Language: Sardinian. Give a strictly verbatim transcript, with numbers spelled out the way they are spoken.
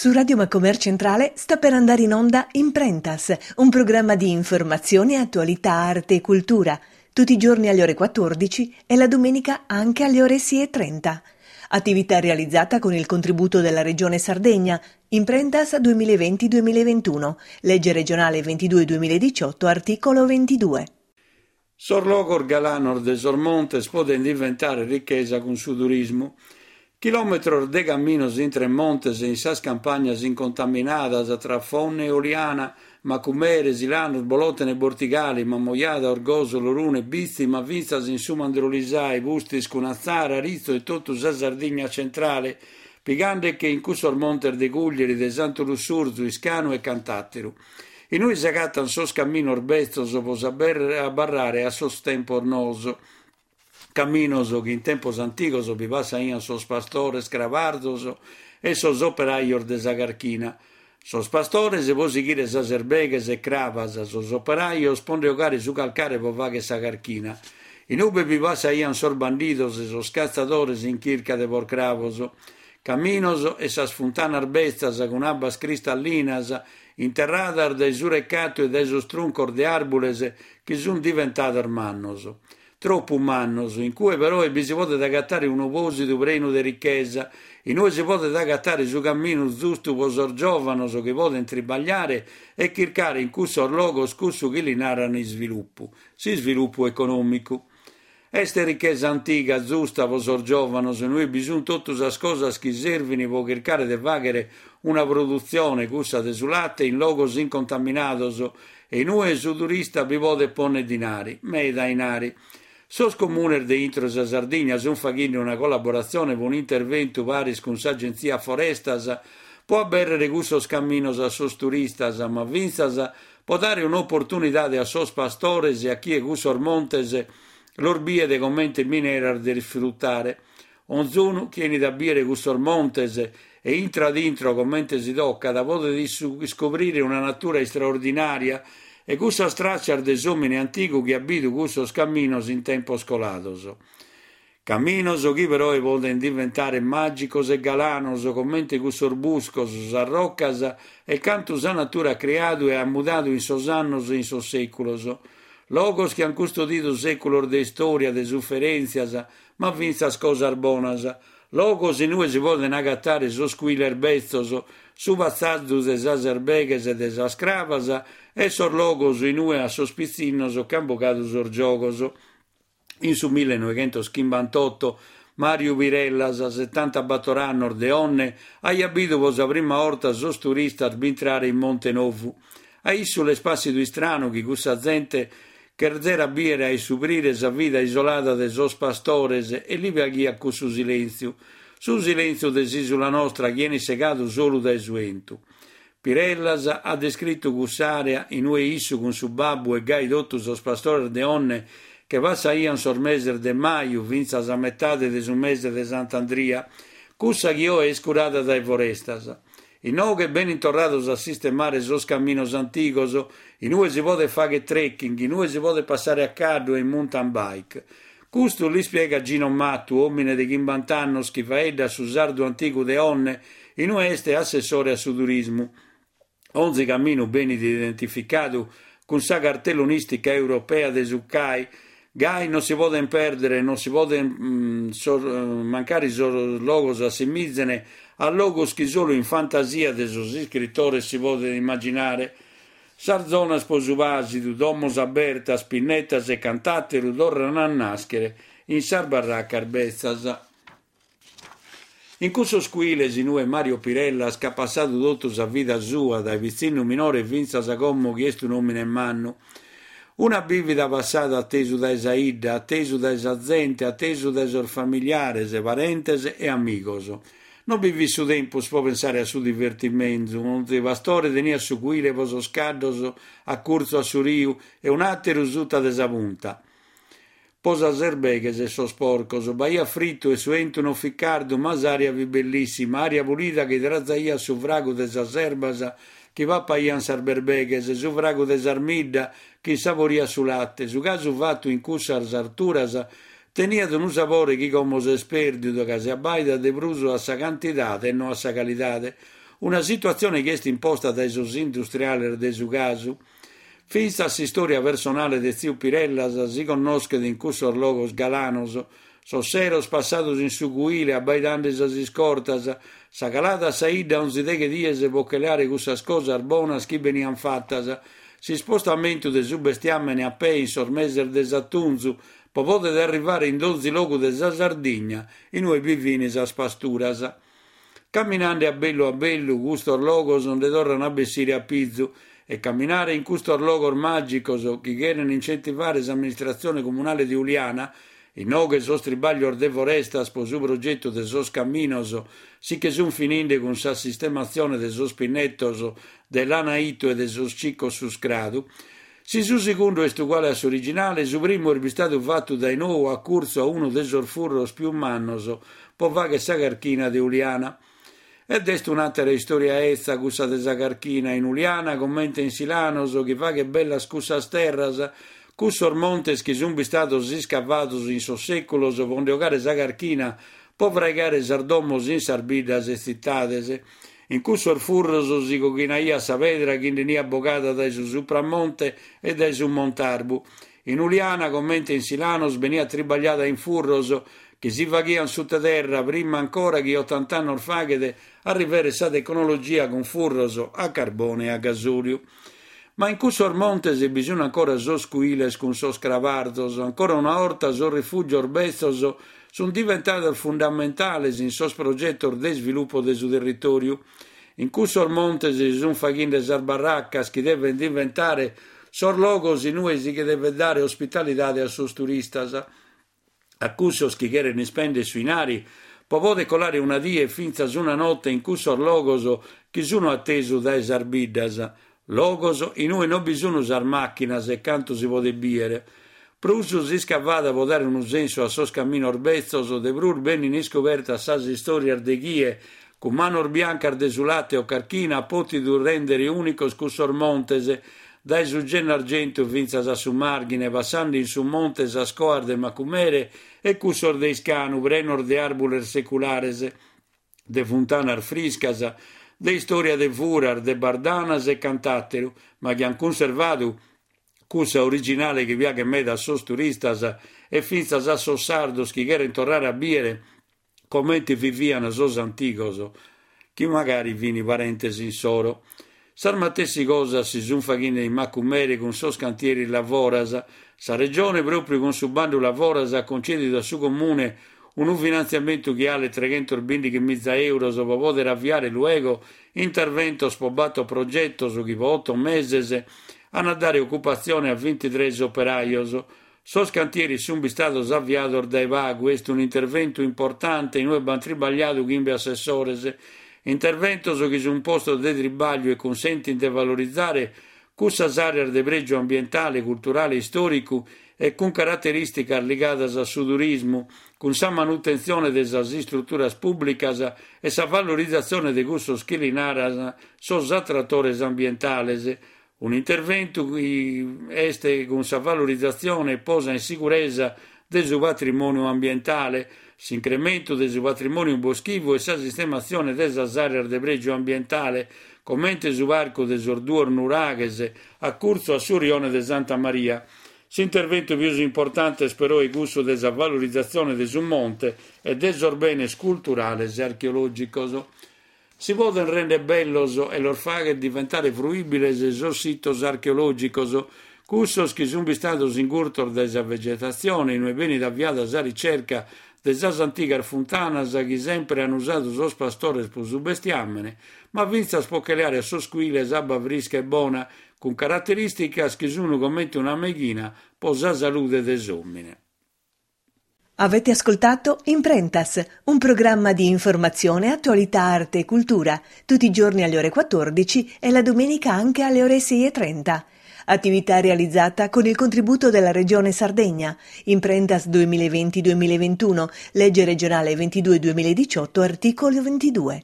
Su Radio Macomer Centrale sta per andare in onda Imprentas, un programma di informazione, attualità, arte e cultura, tutti i giorni alle ore quattordici e la domenica anche alle ore sei e trenta. Attività realizzata con il contributo della Regione Sardegna, Imprentas duemilaventi duemilaventuno, legge regionale ventidue duemiladiciotto, articolo ventidue. Sos logos galanos de sos montes poden diventare ricchesa cun su turismu. Chilometros de caminos intre montes e in sas campagnas incontaminadas tra Fonne e Oliana, Macumere, Silanos, Bolòtene e Bortigali, Mamoiada, Orgòsolo, Orune, Bitzi, ma fintzas in su Mandrolisai, Pustis cun Atzara, Aritzo e totu sa Sardigna centrale, pigande-che in cussos montes de Cuglieri, de Santu Lussurzu, Iscanu e cant'àteru. Inue s'agatan sos caminos betzos pro abarrare a sos tempos noos. Caminos chi in tempos antigos bi passaian sos pastores crabarzos e sos operajos de sa carchina. Sos pastores pro sighire sas erbeghes e crabas, sos operajos pro nde 'ogare su calcare pro fagher sa carchina. Inube bi passaian sos bandidos e sos catzadores in chirca de porcrabos. Caminos e sas funtanas betzas cun abbas cristallinas interradas dae su recatu e dae sos truncos de àrbules chi sun diventados mannos. Tropu mannos, in cue però bi si podet agatare unu pòsidu prenu de richesa, inue si podet agatare su caminu zustu pro sos giòvanos chi podent tribagliare e chircare in cussos logos cussu chi li naran isvilupu, s'isvilupu econòmicu. Est richesa antiga, zusta pro sos giòvanos, inue bi sunt totu sas cosas chi servin pro chircare de fàghere una produtzione, cussa de su late, in logos incontaminados e inue su turista bi podet pònnere dinari, meda 'inari. Sos comunes de intro sa Sardigna sunt faghende una collaboratzione pro un'interventu paris cun s'Agentzia Forestas pro abèrrere cussos caminos a sos turistas, ma fintzas pro dare un'oportunidade a sos pastores e a chie cussos montes los biet comente mineras de isfrutare. Onzunu chi 'enit a bìere cussos montes e intrat intro comente si tocat podet iscoprire una natura istraordinària e cussas tràcias de s'òmine antigu chi at bidu cussos caminos in tempos colados. Caminos chi però podent diventare màgicos e galanos, comente cussos buscos, sas rocas e cantu sa natura at criadu e at mudadu in sos annos e in sos sèculos. Logos chi an custodidu sèculos de istòria, de suferèntzias, ma fintzas cosas bonas. Logos inue si poden agatare sos cuiles betzos, su passazu de sas erbeghes e de sas crabas e sos logos inue a sos pitzinnos ch'an bogadu sos giogos. In su millenoighentos chimbantotto Mariu Pirellas, setantabator annos de Onne, aiat bidu pro sa prima 'orta sos turistas bintrare in Monte Novu. A issu l'est pàssidu istranu chi cussa zente cherzerat bìere a issuprire sa vida isolada de sos pastores e li piaghiat cussu silèntziu. Su silèntziu de s'ìsula nostra chi 'enit segadu solu dae su 'entu. Pirellas at descritu cuss'àrea inue issu cun su babbu e gai totu sos pastores de Onne che passaian sos meses de maju fintzas a metade de su mese de Sant'Andria, cussa chi oe est curada dae Forestas. Inoghe benint torrados a sistemare sos caminos antigos, inue si podet fagher trekking, inue si podet passare a caddu e in mountain bike. Custu l'ispiegat Gino Mattu, òmine de chimbanta annos chi faeddat su sardu antigu de Onne, inue est assessore a su turismu. Onzi caminu benit identificadu cun sa cartellonistica europea de su C A I. Gai non si poden pèrdere, non si poden mm, sos, mancari sos logos assimizene a logos chi solu in fantasia de sos iscritores si podet immaginare. Sas zonas pro su pàsidu, domos abertas, pinnetas e cant'àteru torran a nàschere in sas barracas betzas. In cussos cuiles inue Mario Pirellas ch'at passadu totu sa vida sua, dae pitzinnu minore fintzas a como chi est un'òmine mannu. Una bìvida passada atesu dae sa 'idda, atesu dae sa zente, atesu dae sos familiares, parentes e amigos. Non bi fit su tempus pro pensare a su divertimentu, onzi pastore teniat su cuile pro sos caddos a curtzu a su riu e un'àteru suta de sa punta. Pro sas erbeghes e sos porcos. B'aiat fritu e su 'entu non fit cardu, ma s'aria fit bellissima, aria pulida chi trazaiat su fragu de sas erbas chi papaian sas berbeghes, su fragu de s'armidda chi insaboriat su latte. Su casu fatu in cussas arturas teniat unu sabore chi como s'est pèrdidu, ca si abbaidat de prus a sa cantidade e no a sa calidade. Una situatzione chi est imposta dae sos industriales de su casu. Fintzas s'istòria personale de Tziu Pirellas si connoschet in cussos logos galanos, sos seros passados in su cuile abbaidende sas iscortas, sa calada a sa 'idda onzi deghe dies pro che leare cussas cosas bonas chi benian fatas, s'ispostamentu de su bestiamene a pê in sos meses de s'atunzu pro poder arrivare in donzi logu de sa Sardigna inue bi fin sas pasturas. Caminande a bellu a bellu custos logos nde torran a bessire a pizu e caminare in custos logos màgicos chi cheren incentivare s'amministratzione comunale de Uliana, inoghe sos tribaglios de forestas pro su progetu de sos caminos si che sun fininde cun sa sistematzione de sos pinnetos de Lanaitu e de sos Cicos Suscradu. Si su segundu est uguale a s'originale, su primu est bistadu fatu dae nou a curtzu a unu de sos furros pius mannos pro fagher sa carchina de Uliana. Ed est un'àtera istòria 'etza cussa de sa carchina in Uliana comente in Silanos chi faghet bellas cussas terras, cussos montes chi sun bistados iscavados in sos sèculos pro nde 'ogare sa carchina pro fraigare sas domos in sas biddas e tzitades. In cussos furros si coghinaiat sa pedra chi nde 'eniat bogada dae su Supramonte e dae su Montarbu. In Uliana, comente in Silanos, beniat tribagliada in furros chi si faghian sutta terra prima ancora chi ottant'annos faghet arriveret sa tecnologia cun furros a carbone e a gasòliu. Ma in cussos montes bi sun ancora sos cuiles cun sos crabarzos, ancora una 'orta sos rifùgios betzos sun diventados fundamentales in sos progetos de isvilupu de su territòriu. In cussos montes si sun faghende sas barracas chi deven diventare sos logos inue si che devet dare ospitalidade a sos turistas, a cussos chi cheren ispender su 'inari pro poder colare una die e fintzas una note in cussos logos chi sun atesu dae sas biddas, logos inue non bi sun sas màchinas e cantu si podet bìere. Prus s'iscavat pro dare unu sensu a sos caminos betzos, de prus benin iscobertas sas istòrias de chie, cun manos biancas de su late o carchina, at pòtidu rèndere ùnicos cussos montes, dae su Gennargentu fintzas a su Màrghine, passende in su monte sas coas de Macumere e cussos de Iscanu, prenos de àrbules seculares, de funtanas friscas, de istòria de furas, de bardanas e cant'àteru, ma chi an cunservadu cussa originale chi piaghet meda a sos turistas e fintzas a sos sardos chi cheren torrare a bìere comente vivian sos antigos, chi magari fin parentes insoro. Sas matessi cosas si sun faghende in Macumere cun sos cantieris Lavoras. Sa Regione, pròpiu cun su bandu Lavoras, at concèdidu a su Comune unu finantziamentu chi 'alet treghentos bìndighi miza euros pro poder aviare luego interventos pro bator progetos chi pro oto meses an a dare ocupatzione a bintitrès operajos. Sos cantieris sun bistados aviados dae pagu, est un'interventu importante inue b'an tribagliadu chimbe assessores. Interventos chi sun postos de tribagliu e cunsentint de valorizare cussas àreas de prègiu ambientale, culturale e istòricu e cun caraterìsticas ligadas a su turismu, cun sa manutentzione de sas istruturas pùblicas e sa valorizatzione de cussos chi li naran sos atratores ambientales. Un'interventu chi est cun sa valorizatzione e posa in siguresa de su patrimòniu ambientale, s'incrementu de su patrimòniu boschivu e sa sistematzione de sas àreas de prègiu ambientale, comente su parcu de sos duos nuraghes a curtzu a su rione de Santa Maria. S'interventu pius importante est però cussu de sa valorizatzione de su monte e de sos benes culturales e archeològicos. Si poden render bellos e los fagher diventare fruìbiles sos sitos archeològicos, cussos chi sun bistados ingurtos dae sa vegetatzione, inue benit aviada sa ricerca de sas antigas funtanas chi sempre an usadu sos pastores pro su bestiamene, ma fintzas pro che leare a sos cuiles abba frisca e bona, cun caraterìsticas chi sun comente una meighina pro sa salude de s'òmine. Avete ascoltato Imprentas, un programma di informazione, attualità, arte e cultura, tutti i giorni alle ore quattordici e la domenica anche alle ore sei e trenta. Attività realizzata con il contributo della Regione Sardegna. Imprentas duemilaventi duemilaventuno, legge regionale ventidue duemiladiciotto, articolo ventidue.